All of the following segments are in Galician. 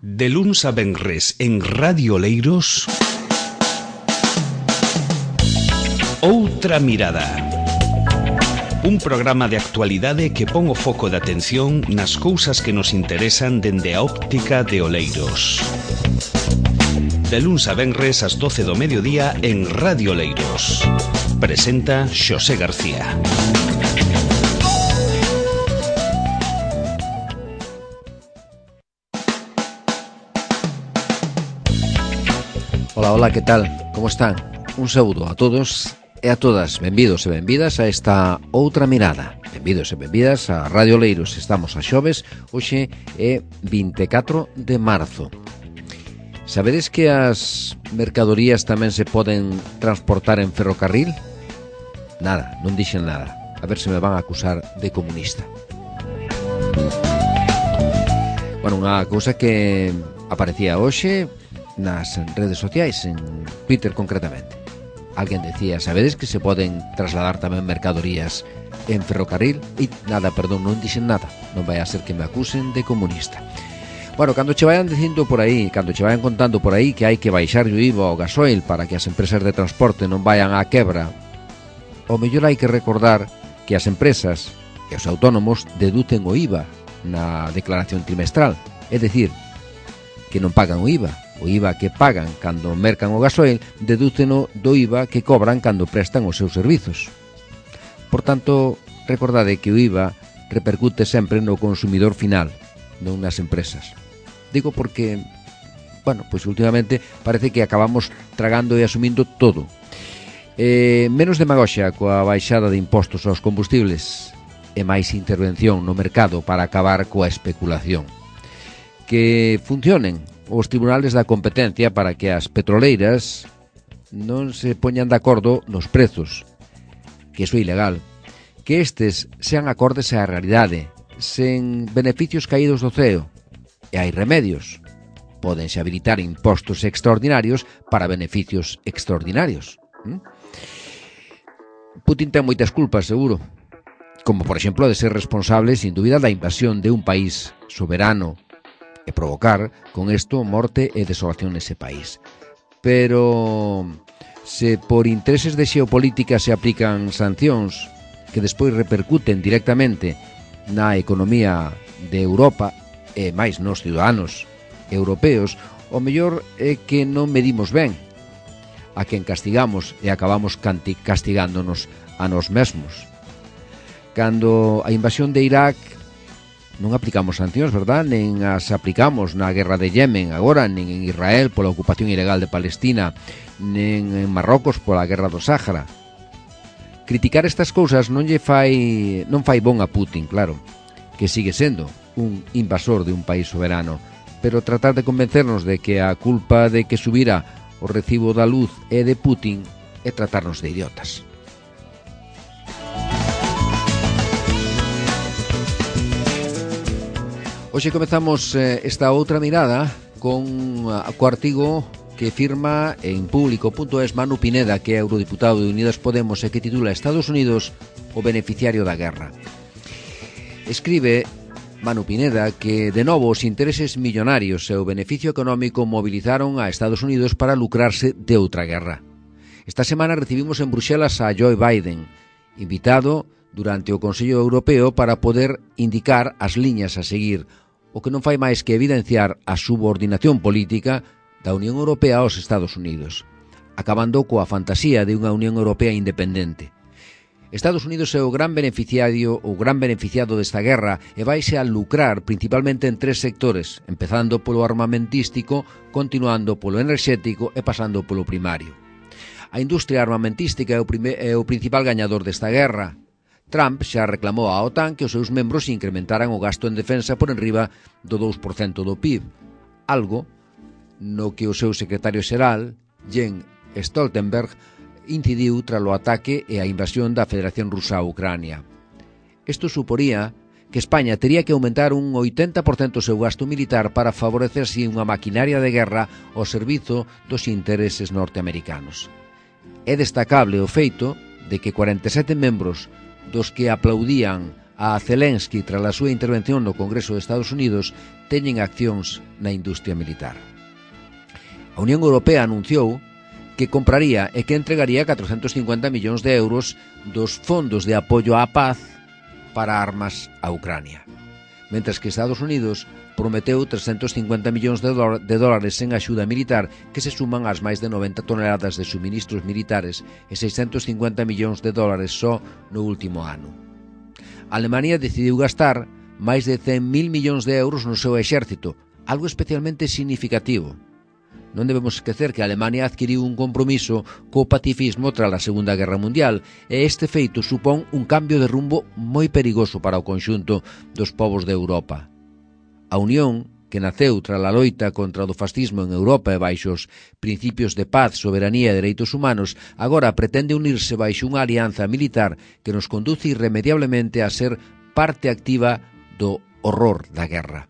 De luns a venres en Radio Oleiros, Outra Mirada. Un programa de actualidade que pon o foco de atención nas cousas que nos interesan dende a óptica de Oleiros. De luns a venres ás 12 do mediodía en Radio Oleiros. Presenta Xosé García. Hola, que tal? Como están? Un saúdo a todos e a todas. Benvidos e benvidas a esta Outra Mirada. Benvidos e benvidas a Radio Oleiros. Estamos a xoves, hoxe é 24 de marzo. Sabedes que as mercadorías tamén se poden transportar en ferrocarril? Nada, non dixen nada. A ver se me van a acusar de comunista. Bueno, unha cousa que aparecía hoxe nas redes sociais, en Twitter concretamente. Alguén decía, sabedes que se poden trasladar tamén mercadorías en ferrocarril? E nada, perdón, non dixen nada. Non vai a ser que me acusen de comunista. Bueno, cando che vayan dicindo por aí, cando che vayan contando por aí que hai que baixar o IVA ao gasoil para que as empresas de transporte non vayan á quebra, o mellor hai que recordar que as empresas e os autónomos deducen o IVA na declaración trimestral. É dicir, que non pagan o IVA. O IVA que pagan cando mercan o gasoil dedúceno do IVA que cobran cando prestan os seus servizos. Por tanto, recordade que o IVA repercute sempre no consumidor final, non nas empresas. Digo porque, bueno, pois últimamente parece que acabamos tragando e asumindo todo. Menos demagoxia coa baixada de impostos aos combustibles e máis intervención no mercado para acabar coa especulación. Que funcionen os tribunales da competencia para que as petroleiras non se poñan de acordo nos prezos, que iso é ilegal, que estes sean acordes á realidade, sen beneficios caídos do ceo, e hai remedios. Pódense habilitar impostos extraordinarios para beneficios extraordinarios. Putin ten moitas culpas, seguro, como por exemplo de ser responsable, sin dúbida, da invasión de un país soberano e provocar, con isto, morte e desolación nese país. Pero se por intereses de xeopolítica se aplican sancións que despois repercuten directamente na economía de Europa e máis nos ciudadanos europeos, o mellor é que non medimos ben a quen castigamos e acabamos castigándonos a nós mesmos. Cando a invasión de Irak non aplicamos sancións, verdad? Nen as aplicamos na guerra de Yemen agora, nen en Israel pola ocupación ilegal de Palestina, nen en Marrocos pola guerra do Sáhara. Criticar estas cousas non fai bon a Putin, claro, que sigue sendo un invasor de un país soberano, pero tratar de convencernos de que a culpa de que subira o recibo da luz é de Putin é tratarnos de idiotas. Hoxe comezamos esta outra mirada con o artigo que firma en público.es Manu Pineda, que é eurodiputado de Unidas Podemos e que titula Estados Unidos o beneficiario da guerra. Escribe Manu Pineda que, de novo, os intereses millonarios e o beneficio económico movilizaron a Estados Unidos para lucrarse de outra guerra. Esta semana recibimos en Bruxelas a Joe Biden, invitado durante o Consello Europeo para poder indicar as liñas a seguir, o que non fai máis que evidenciar a subordinación política da Unión Europea aos Estados Unidos, acabando coa fantasía de unha Unión Europea independente. Estados Unidos é o gran beneficiado desta guerra e vaise a lucrar principalmente en tres sectores, empezando polo armamentístico, continuando polo enerxético e pasando polo primario. A industria armamentística é o principal gañador desta guerra. Trump xa reclamou á OTAN que os seus membros incrementaran o gasto en defensa por enriba do 2% do PIB, algo no que o seu secretario xeral, Jens Stoltenberg, incidiu tras o ataque e a invasión da Federación Rusa a Ucrania. Isto suporía que España tería que aumentar un 80% o seu gasto militar para favorecer así unha maquinaria de guerra ao servizo dos intereses norteamericanos. É destacable o feito de que 47 membros dos que aplaudían a Zelensky tras a súa intervención no Congreso de Estados Unidos teñen accións na industria militar. A Unión Europea anunciou que compraría e que entregaría 450 millóns de euros dos fondos de apoio á paz para armas a Ucrania, mentres que Estados Unidos prometeu 350 millóns de dólares en axuda militar que se suman ás máis de 90 toneladas de suministros militares e 650 millóns de dólares só no último ano. Alemania decidiu gastar máis de 100.000 millóns de euros no seu exército, algo especialmente significativo. Non debemos esquecer que Alemania adquiriu un compromiso co pacifismo tras a Segunda Guerra Mundial e este feito supón un cambio de rumbo moi perigoso para o conxunto dos povos de Europa. A Unión, que naceu tras a loita contra o fascismo en Europa e baixo os principios de paz, soberanía e dereitos humanos, agora pretende unirse baixo unha alianza militar que nos conduce irremediablemente a ser parte activa do horror da guerra.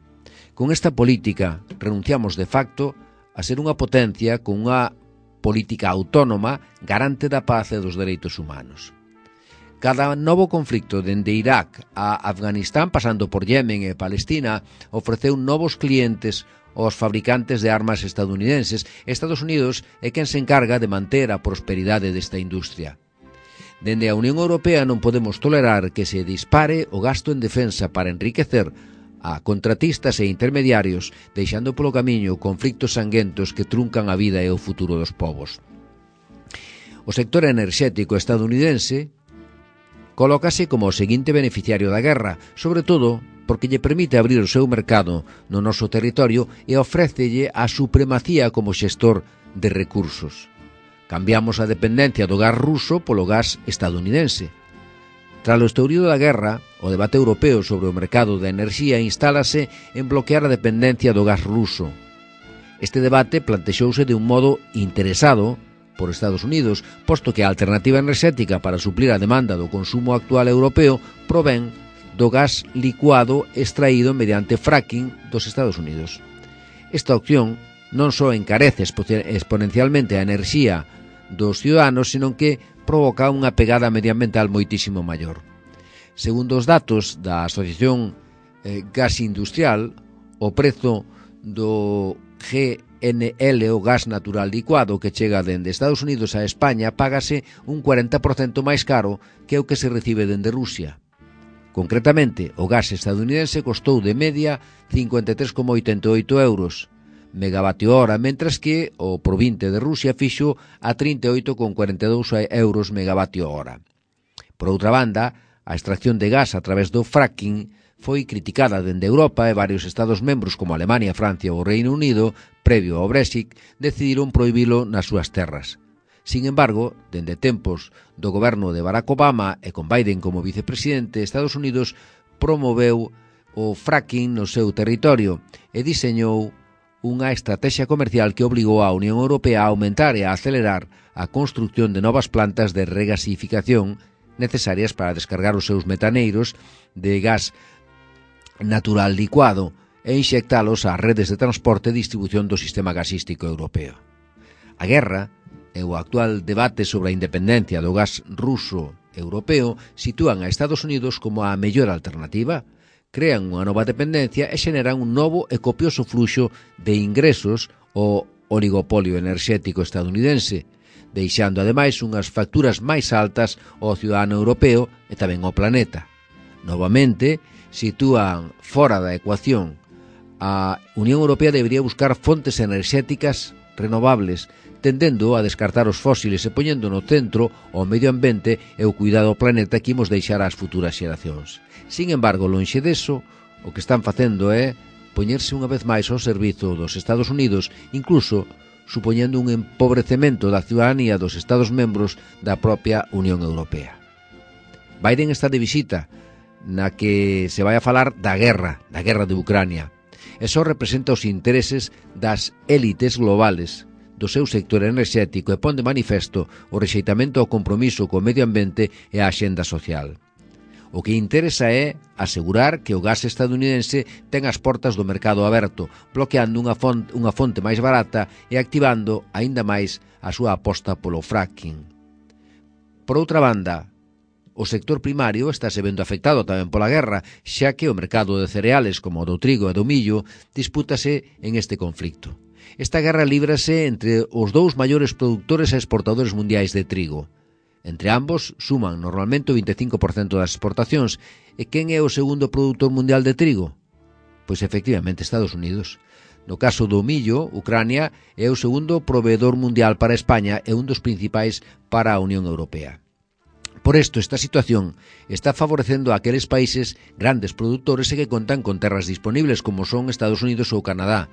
Con esta política renunciamos de facto a ser unha potencia con unha política autónoma garante da paz e dos dereitos humanos. Cada novo conflicto dende Irak a Afganistán, pasando por Yemen e Palestina, ofreceu novos clientes aos fabricantes de armas estadounidenses. Estados Unidos é quen se encarga de manter a prosperidade desta industria. Dende a Unión Europea non podemos tolerar que se dispare o gasto en defensa para enriquecer a contratistas e intermediarios, deixando polo camiño conflictos sanguentos que truncan a vida e o futuro dos povos. O sector enerxético estadounidense colócase como o seguinte beneficiario da guerra, sobre todo porque lle permite abrir o seu mercado no noso territorio e ofrécelle a supremacía como xestor de recursos. Cambiamos a dependencia do gas ruso polo gas estadounidense. Tras o estourido da guerra, o debate europeo sobre o mercado da enerxía instálase en bloquear a dependencia do gas ruso. Este debate plantexouse de un modo interesado por Estados Unidos, posto que a alternativa enerxética para suplir a demanda do consumo actual europeo provén do gas licuado extraído mediante fracking dos Estados Unidos. Esta opción non só encarece exponencialmente a enerxía dos ciudadanos, senón que provoca unha pegada medioambiental moitísimo maior. Segundo os datos da Asociación Gas Industrial, o prezo do GNL, o gas natural licuado, que chega dende Estados Unidos a España, págase un 40% máis caro que o que se recibe dende Rusia. Concretamente, o gas estadounidense costou de media 53,88 euros megavatio hora, mentras que o provinte de Rusia fixo a 38,42 euros megavatio hora. Por outra banda, a extracción de gas a través do fracking foi criticada dende Europa e varios Estados membros como Alemania, Francia ou Reino Unido, previo ao Brexit, decidiron prohibilo nas súas terras. Sin embargo, dende tempos do goberno de Barack Obama e con Biden como vicepresidente, Estados Unidos promoveu o fracking no seu territorio e diseñou unha estrategia comercial que obligou a Unión Europea a aumentar e a acelerar a construcción de novas plantas de regasificación necesarias para descargar os seus metaneiros de gas natural licuado e inxectalos ás redes de transporte e distribución do sistema gasístico europeo. A guerra e o actual debate sobre a independencia do gas ruso europeo sitúan a Estados Unidos como a mellor alternativa, crean unha nova dependencia e xeneran un novo e copioso fluxo de ingresos ao oligopolio enerxético estadounidense, deixando ademais unhas facturas máis altas ao cidadano europeo e tamén ao planeta. Novamente, sitúan fora da ecuación. A Unión Europea debería buscar fontes enerxéticas renovables, tendendo a descartar os fósiles e poñendo no centro o medio ambiente e o cuidado ao planeta que imos deixar ás futuras xeracións. Sin embargo, lonxe deso, o que están facendo é poñerse unha vez máis ao servizo dos Estados Unidos, incluso supoñendo un empobrecemento da ciudadanía dos Estados membros da propia Unión Europea. Biden está de visita, na que se vai a falar da guerra de Ucrania. Eso representa os intereses das élites globales do seu sector enerxético e pon de manifesto o rexeitamento ao compromiso co medio ambiente e a axenda social. O que interesa é asegurar que o gas estadounidense ten as portas do mercado aberto, bloqueando unha fonte máis barata e activando aínda máis a súa aposta polo fracking. Por outra banda, O sector primario estáse vendo afectado tamén pola guerra, xa que o mercado de cereales como o do trigo e do millo dispútase en este conflicto. Esta guerra líbrase entre os dous maiores produtores e exportadores mundiais de trigo. Entre ambos suman normalmente o 25% das exportacións. E quen é o segundo produtor mundial de trigo? Pois efectivamente Estados Unidos. No caso do millo, Ucrania é o segundo proveedor mundial para España e un dos principais para a Unión Europea. Por isto, esta situación está favorecendo a aqueles países grandes produtores e que contan con terras disponibles como son Estados Unidos ou Canadá,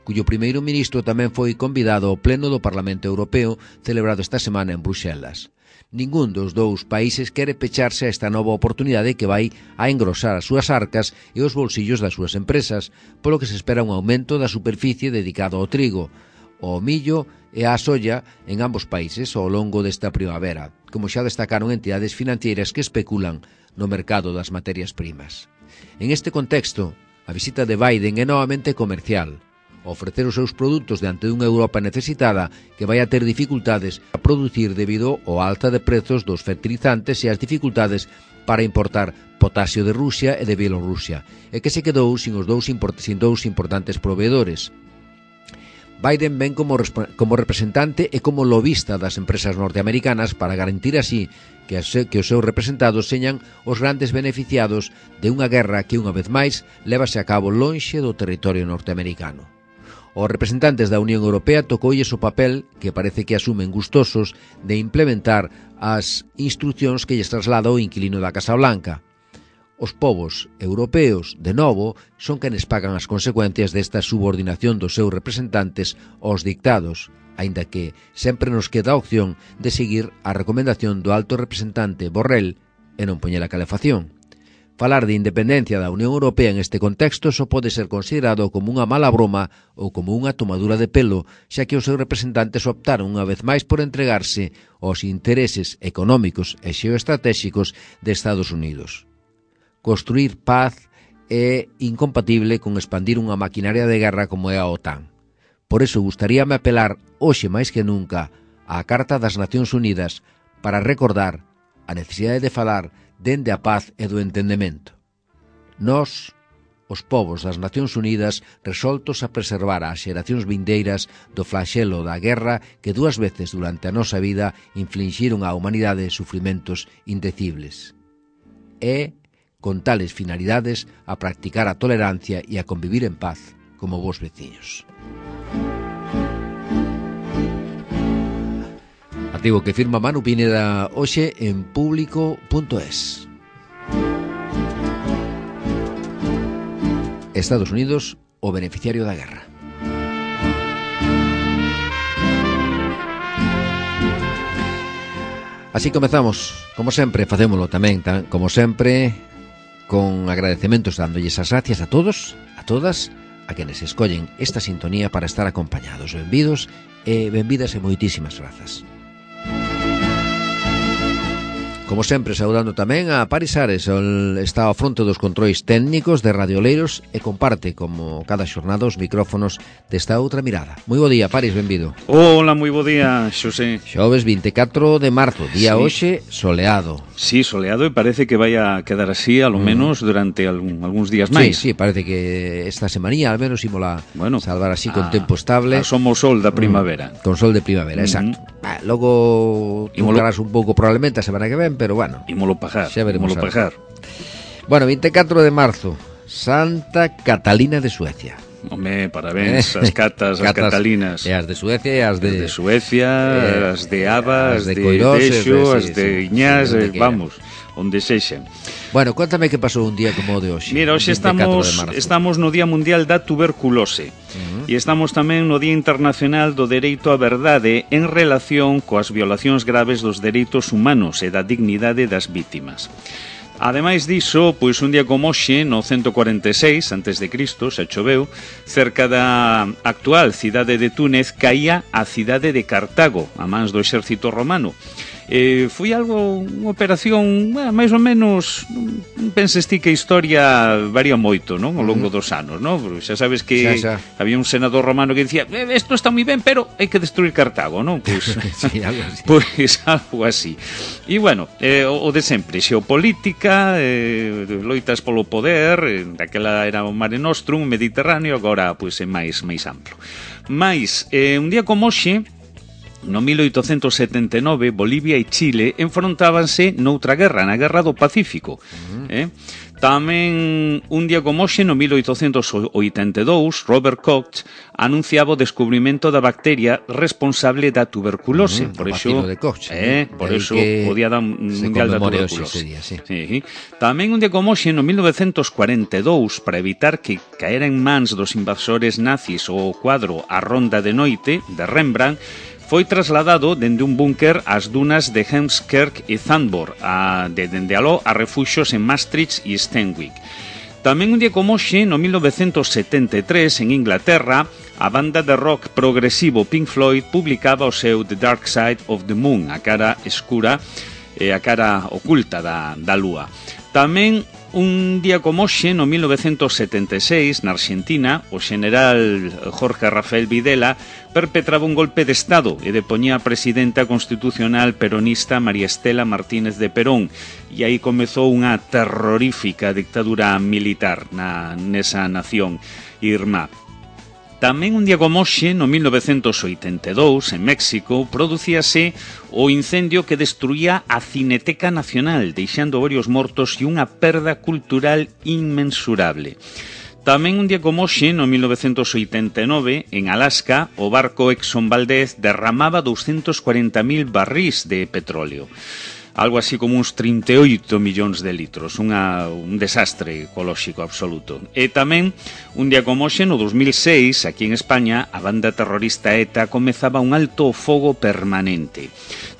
cuyo primeiro ministro tamén foi convidado ao pleno do Parlamento Europeo celebrado esta semana en Bruxelas. Ningún dos dous países quere pecharse a esta nova oportunidade que vai a engrosar as súas arcas e os bolsillos das súas empresas, polo que se espera un aumento da superficie dedicado ao trigo, ao millo e á soya en ambos países ao longo desta primavera, como xa destacaron entidades financeiras que especulan no mercado das materias primas. En este contexto, a visita de Biden é novamente comercial, ofrecer os seus produtos diante dunha Europa necesitada que vai a ter dificultades a producir debido ao alta de prezos dos fertilizantes e as dificultades para importar potasio de Rusia e de Bielorrusia, e que se quedou sin dous importantes proveedores. Biden ven como representante e como lobista das empresas norteamericanas para garantir así que os seus representados señan os grandes beneficiados de unha guerra que, unha vez máis, lévase a cabo lonxe do territorio norteamericano. Os representantes da Unión Europea tocoulles o papel, que parece que asumen gustosos, de implementar as instruccións que lles traslada o inquilino da Casa Blanca. Os povos europeos, de novo, son quenes pagan as consecuencias desta subordinación dos seus representantes aos dictados, aínda que sempre nos queda a opción de seguir a recomendación do alto representante Borrell e non poñer a calefacción. Falar de independencia da Unión Europea en este contexto só pode ser considerado como unha mala broma ou como unha tomadura de pelo, xa que os seus representantes optaron unha vez máis por entregarse aos intereses económicos e xeoestratégicos de Estados Unidos. Construir paz é incompatible con expandir unha maquinaria de guerra como é a OTAN. Por iso gustaríame apelar hoxe máis que nunca á Carta das Nacións Unidas para recordar a necesidade de falar dende a paz e do entendemento. Nós, os povos das Nacións Unidas, resoltos a preservar ás xeracións vindeiras do flaxelo da guerra que dúas veces durante a nosa vida inflixiron á humanidade sufrimentos indecibles. É con tales finalidades a practicar a tolerancia e a convivir en paz como vos veciños. Artigo que firma Manu Pineda hoxe en Público.es. Estados Unidos, o beneficiario da guerra. Así comezamos, como sempre, facémolo tamén, como sempre, con agradecementos dándolles as gracias a todos, a todas, a quenes escollen esta sintonía para estar acompañados. Benvidos e benvidas e moitísimas grazas. Como sempre, saudando tamén a Paris Ares, está ao fronte dos controis técnicos de Radio Oleiros e comparte, como cada xornada, os micrófonos desta outra mirada. Moi bo día, Paris, benvido. Hola, moi bo día, Xosé. Xoves 24 de marzo, día hoxe soleado. Sí, soleado, e parece que vai a quedar así, a lo menos, durante algúns días máis. Sí, parece que esta semanía, al menos, ímola salvar así con tempo estable. Somos sol da primavera. Con sol de primavera, exacto. Logo truncarás un pouco probablemente a semana que ven, pero bueno, ímolo pagar, xa veremos. Bueno, 24 de marzo, Santa Catalina de Suecia. Home, parabéns, as catas, as catalinas. E as de Suecia e as de Suecia, as de Aba, as de Dexo, as de Iñás, vamos, onde sexen. Bueno, cuéntame que pasou un día como o de hoxe. Mira, hoxe estamos no Día Mundial da Tuberculose e estamos tamén no Día Internacional do Dereito á Verdade en relación coas violacións graves dos dereitos humanos e da dignidade das vítimas. Ademais diso, pois un día como hoxe, no 146 a.C., xa choveu, cerca da actual cidade de Túnez caía a cidade de Cartago, a mans do exército romano. Foi algo, unha operación, máis ou menos, penses ti que a historia varía moito, non? Ao longo dos anos, non? Porque xa sabes que había un senador romano que dicía, isto está moi ben, pero hai que destruir Cartago, non? Pois, sí, algo así. Pois algo así. E bueno, o de sempre, xeopolítica, loitas polo poder, daquela era o Mare Nostrum, Mediterráneo, agora pois é máis amplo. Mais, un día como hoxe, no 1879, Bolivia e Chile enfrontábanse noutra guerra, na Guerra do Pacífico. Tamén, un día como hoxe, no 1882, Robert Koch anunciaba o descubrimento da bacteria responsable da tuberculose. Por iso, de Koch, por iso o Día Mundial da Tuberculose. Día, sí. Tamén un día como hoxe, no 1942, para evitar que caera en mans dos invasores nazis o quadro A Ronda de Noite, de Rembrandt, foi trasladado dende un búnker ás dunas de Heemskerk e Zandvoort, dende aló a refuxos en Maastricht e Steenwijk. Tamén un día como hoxe, no 1973, en Inglaterra, a banda de rock progresivo Pink Floyd publicaba o seu The Dark Side of the Moon, a cara escura e a cara oculta da lúa. Tamén un día como hoxe, no 1976, na Argentina, o general Jorge Rafael Videla perpetraba un golpe de Estado e depoñía a presidenta constitucional peronista María Estela Martínez de Perón, e aí comezou unha terrorífica dictadura militar nesa nación irmá. Tamén un día como hoxe, no 1982, en México, producíase o incendio que destruía a Cineteca Nacional, deixando varios mortos e unha perda cultural inmensurable. Tamén un día como hoxe, no 1989, en Alaska, o barco Exxon Valdez derramaba 240.000 barrís de petróleo. Algo así como uns 38 millóns de litros, un desastre ecolóxico absoluto. E tamén, un día como hoxe, no 2006, aquí en España, a banda terrorista ETA comezaba un alto fogo permanente.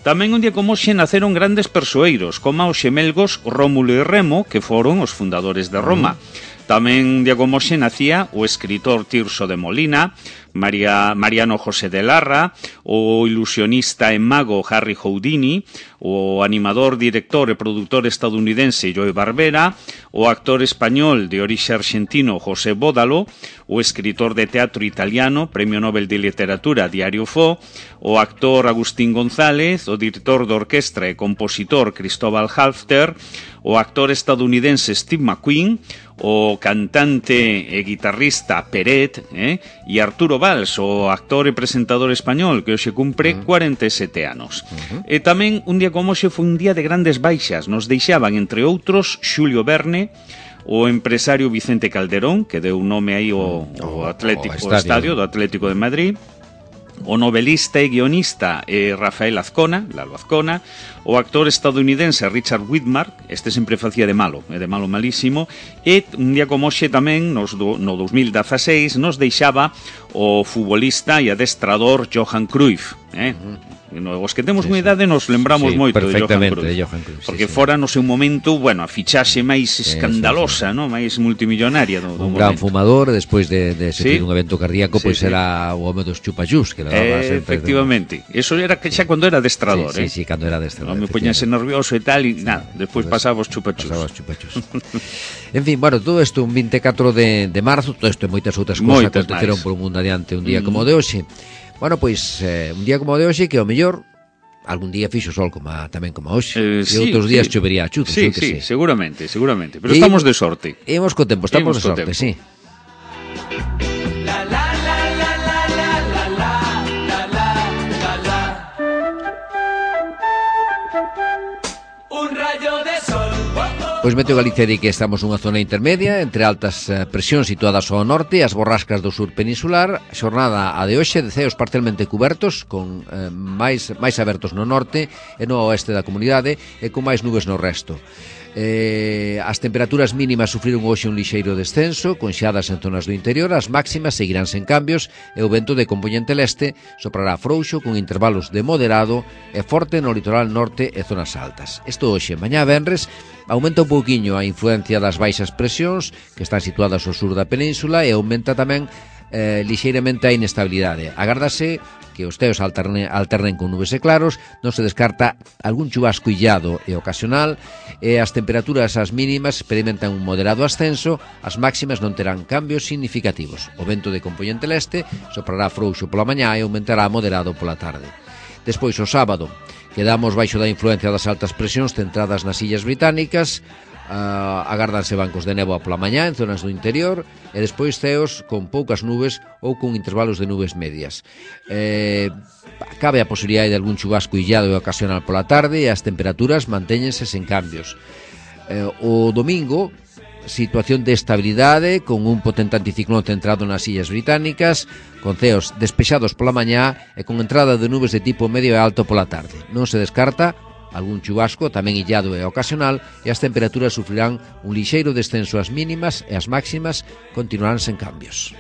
Tamén un día como hoxe naceron grandes persoeiros, como os xemelgos Rómulo e Remo, que foron os fundadores de Roma. Tamén un día como hoxe nacía o escritor Tirso de Molina, Mariano José de Larra, o ilusionista e mago Harry Houdini, o animador, director e produtor estadounidense Joe Barbera, o actor español de orixe argentino José Bódalo, o escritor de teatro italiano, Premio Nobel de Literatura Diario Fo, o actor Agustín González, o director de orquestra e compositor Cristóbal Halfter, o actor estadounidense Steve McQueen, o cantante e guitarrista Peret, e Arturo Valls, o actor e presentador español que hoxe cumpre 47 anos. E tamén un día como hoxe foi un día de grandes baixas. Nos deixaban, entre outros, Xulio Verne, o empresario Vicente Calderón, que deu nome aí ao estadio do Atlético de Madrid, o novelista e guionista Rafael Azcona, Lalo Azcona, o actor estadounidense Richard Widmark, este sempre facía de malo malísimo, e un día como hoxe tamén, no 2016, nos deixaba o futbolista e adestrador Johan Cruyff, Os que temos unha idade nos lembramos moito de Johan Cruyff, porque fora no seu momento, a fichaxe máis escandalosa, máis multimillonaria do un gran fumador, despois de sufrir un evento cardíaco, pois era o home dos chupachús que levaba sempre. Efectivamente, eso era que xa cando era adestrador, Sí, cando era adestrador. Me poñase nervioso e tal, e nada, despois pasaba os chupachús. En fin, todo isto un 24 de marzo, todo isto e moitas outras cousas aconteceron polo mundo adiante un día como o de hoxe. Pois, un día como o de hoxe, que ao mellor algún día fixo sol tamén como hoxe, e outros días chovería a chutos. Sí, seguramente, pero estamos de sorte. Imos co tempo, estamos de sorte, sí. Pois Meteo Galicia di que estamos nunha zona intermedia entre altas presións situadas ao norte e as borrascas do sur peninsular. Xornada a de hoxe de ceos parcialmente cubertos, con máis abertos no norte e no oeste da comunidade e con máis nubes no resto. As temperaturas mínimas sufriron hoxe un lixeiro descenso, con xeadas en zonas do interior. As máximas seguirán sen cambios e o vento de compoñente leste soprará frouxo con intervalos de moderado e forte no litoral norte e zonas altas. Isto hoxe, mañá venres, aumenta un pouquiño a influencia das baixas presións que están situadas ao sur da península e aumenta tamén lixeiramente a inestabilidade. Agárdase que os teos alternen con nubes e claros, non se descarta algún chubasco illado e ocasional, e as temperaturas as mínimas experimentan un moderado ascenso, as máximas non terán cambios significativos. O vento de compoñente leste soprará frouxo pola mañá e aumentará moderado pola tarde. Despois, o sábado, quedamos baixo da influencia das altas presións centradas nas illas británicas, agárdanse bancos de néboa pola mañá en zonas do interior e despois ceos con poucas nubes ou con intervalos de nubes medias. Cabe a posibilidade de algún chubasco illado e ocasional pola tarde e as temperaturas mantéñense sen cambios. O domingo, situación de estabilidade con un potente anticiclón centrado nas illas británicas, con ceos despexados pola mañá e con entrada de nubes de tipo medio e alto pola tarde. Non se descarta algún chubasco, tamén illado e ocasional, e as temperaturas sufrirán un lixeiro descenso ás mínimas e as máximas continuarán sen cambios.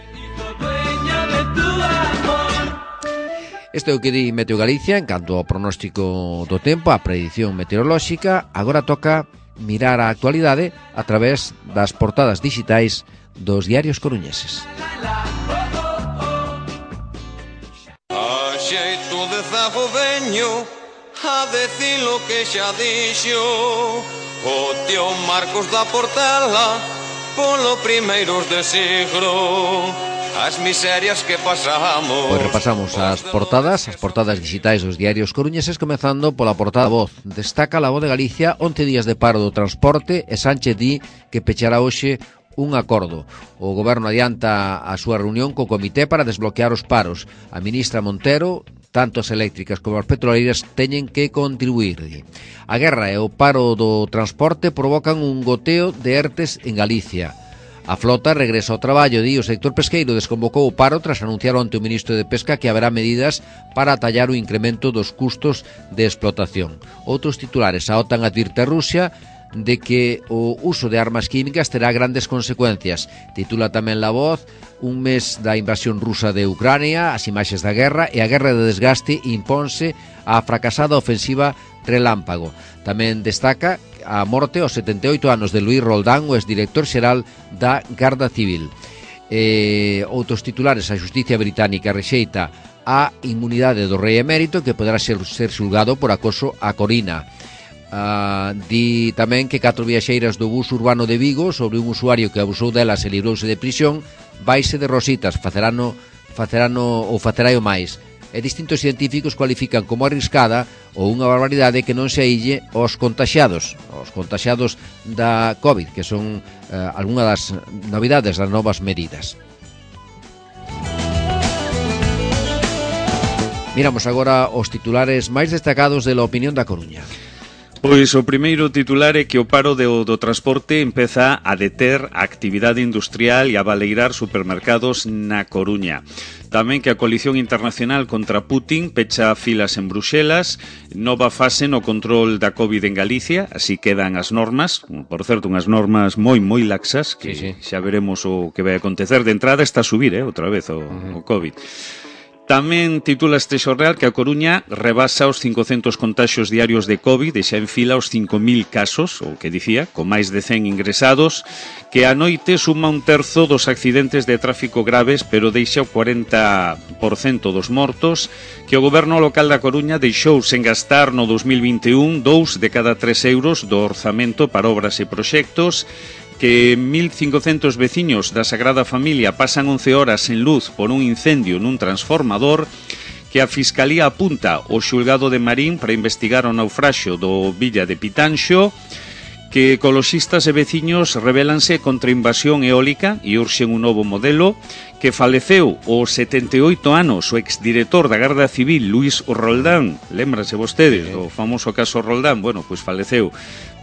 Este é o que di Meteo Galicia en canto ao pronóstico do tempo, a predición meteorolóxica. Agora toca mirar a actualidade a través das portadas digitais dos diarios coruñeses. A xeito de zago veño a decir lo que xa dixo o tío Marcos da Portela polo primeiros de siglo, as miserias que pasamos. Pois repasamos as portadas digitais dos diarios coruñeses, comezando pola portada Voz. Destaca La Voz de Galicia 11 días de paro do transporte e Sánchez di que pechará hoxe un acordo. O goberno adianta a súa reunión co comité para desbloquear os paros. A ministra Montero, tanto as eléctricas como as petroleiras teñen que contribuir. A guerra e o paro do transporte provocan un goteo de ERTES en Galicia. A flota regresa ao traballo, o sector pesqueiro desconvocou o paro tras anunciar onte o ministro de Pesca que haberá medidas para atallar o incremento dos custos de explotación. Outros titulares: a OTAN advirte a Rusia de que o uso de armas químicas terá grandes consecuencias. Titula tamén La Voz: un mes da invasión rusa de Ucrania, as imaxes da guerra e a guerra de desgaste imponse a fracasada ofensiva Relámpago. Tamén destaca a morte aos 78 anos de Luís Roldán, o exdirector xeral da Garda Civil. Outros titulares: a xusticia británica rexeita a inmunidade do rei emérito que poderá ser xulgado por acoso a Corina. Di tamén que 4 viaxeiras do bus urbano de Vigo sobre un usuario que abusou delas e librouse de prisión vaise de rositas, facerano o máis. E distintos científicos cualifican como arriscada ou unha barbaridade que non se aille os contaxiados da COVID, que son algunha das novidades das novas medidas. Miramos agora os titulares máis destacados de La Opinión da Coruña. Pois o primeiro titular é que o paro do transporte empeza a deter a actividade industrial e a baleirar supermercados na Coruña. Tamén que a coalición internacional contra Putin pecha filas en Bruxelas, nova fase no control da COVID en Galicia, así quedan as normas, por certo, unhas normas moi laxas, que sí. Xa veremos o que vai acontecer. De entrada está a subir, outra vez o COVID. Tamén titula este xornal que a Coruña rebasa os 500 contaxios diarios de COVID e xa enfila os 5.000 casos, o que dicía, con máis de 100 ingresados, que a noite suma un terzo dos accidentes de tráfico graves, pero deixa o 40% dos mortos, que o goberno local da Coruña deixou sen gastar no 2021 2 de cada 3 euros do orzamento para obras e proxectos, que 1.500 veciños da Sagrada Familia pasan 11 horas sen luz por un incendio nun transformador, que a Fiscalía apunta ao xulgado de Marín para investigar o naufraxio do Villa de Pitanxo, que ecoloxistas e veciños rebelanse contra a invasión eólica e urxen un novo modelo, que faleceu aos 78 anos o exdirector da Garda Civil, Luís Roldán. Lémbrase vostedes do famoso caso Roldán? Bueno, pois faleceu.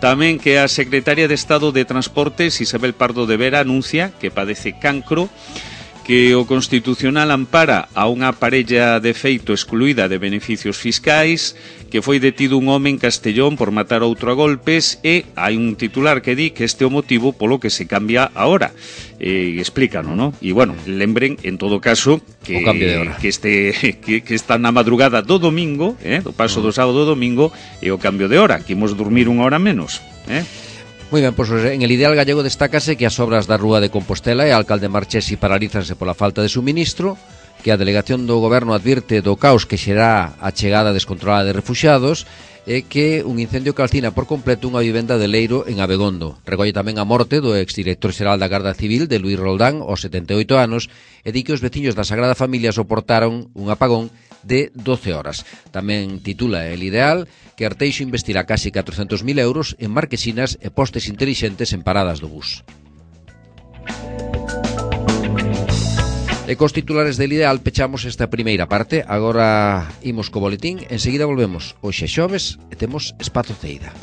Tamén que a secretaria de Estado de Transportes, Isabel Pardo de Vera, anuncia que padece cancro, que o Constitucional ampara a unha parella de feito excluída de beneficios fiscais, que foi detido un home en Castellón por matar outro a golpes, e hai un titular que di que este é o motivo polo que se cambia a hora. Explícano, ¿no? E, bueno, lembren, en todo caso, que o cambio de hora, que está na madrugada do domingo, do paso do sábado ao domingo, e o cambio de hora, que imos dormir unha hora menos, Moi ben, pois en el ideal gallego destácase que as obras da Rúa de Compostela e a alcalde Marchesi paralízanse pola falta de suministro, que a delegación do goberno advirte do caos que xerá a chegada descontrolada de refuxiados e que un incendio calcina por completo unha vivenda de Leiro en Abegondo. Recolle tamén a morte do exdirector xeral da Garda Civil, de Luís Roldán, aos 78 anos, e di que os veciños da Sagrada Familia soportaron un apagón de 12 horas. Tamén titula El Ideal que Arteixo investirá casi 400.000 euros en marquesinas e postes intelixentes en paradas do bus. E cos titulares del Ideal pechamos esta primeira parte. Agora imos co boletín, enseguida volvemos. Hoxe xoves e temos Espazo Ceida.